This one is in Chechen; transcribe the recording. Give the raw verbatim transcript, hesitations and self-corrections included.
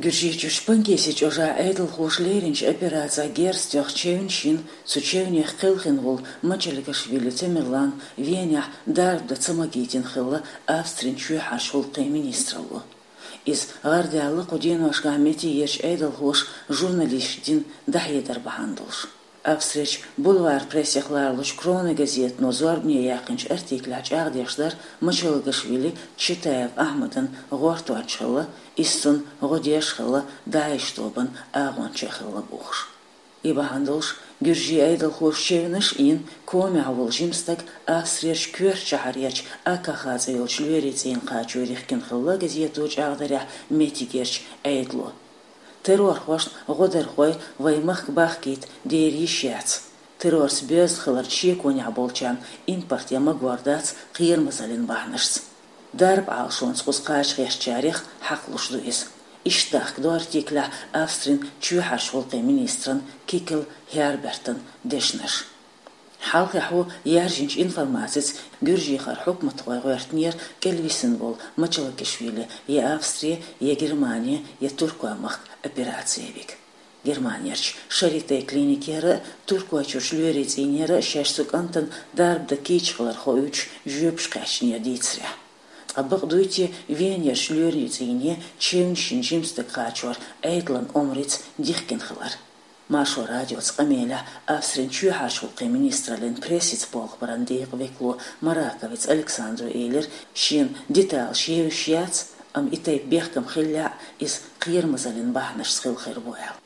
Гуьржийчу Шпангеси чӀожахь Ӏедалхоша леринчу операцехь герз тоьхна чевнаш йина, цу чевнех кхелхина волу Мачалгашвили Тамерлан Венехь дарба дан ца магийтина хилла Австрин чоьхьарчу гӀуллакхийн министралло. Иза гӀардаьлла кху деношкахь меттигерчу Ӏедалхоша журналисташна дина дӀахьедар бахьана долуш. Австрерчу бульвар прессех ларалучу Крона газетано зорбане яьккхинчу артиклехь чӀагӀдеш дара, Мачалгашвили Читаев Ахьмадан гӀортонча хилла, иза цунна гӀо деш хилла, ДАИШ тобанан агӀонча хилла бохуш. И бахьана долуш, гуьржийн Ӏедалхоша чевнаш а йина, комехь волу жима стаг Австрерчу коьртачу шахьарерчу Акаха цӀе йолчу лоьрийн цӀийне кхачо дихкина хилла газето чӀагӀдарехь меттигерчу Ӏедало. Террорхошна гӀодархой вайн махка бахкийта дера йиш яц. Террорца боьзна хиларна шеконехь болчарна импорт ян магор дац кхерамазаллин бахьанашца. Дарба Ӏалашонца кхуза кхача гӀертачарех хьакхалуш ду иза. Иштта дахкадо артиклехь Австрин чоьхьарчу гӀуллакхийн министран Кикл Хербертан дешнаш. Хьалххьехь ву яьржинчу информацица гуьржийн хьукматхой гӀоьртинера кӀелвисина волу Мачалгашвили я Австри, я Германи, я Туркой махка операци вига. Германерчу Шарите клиникера а, Туркойчуьрчу лоьрийн цӀийнера а шаьш цу кӀантана дарба дан кийча хилар хоуьйтуш жоьпаш кхаьчнера дийцарехь. Ткъа бакъ дуй те Венерчу лоьрийн цӀийне чевнаш йина жима стаг кхачор Ӏедалан омрица дихкина хилар? Маршо радиоца къамелехь Австрин чоьхьарчу гӀуллакхийн министраллин прессица болх баран декъан векало Мараковиц Александро элира, шена деталаш евзаш яц, амма и тайпа бехкам хиллехь а, иза кхерамазаллин бахьанашца хилла хир бу аьлла.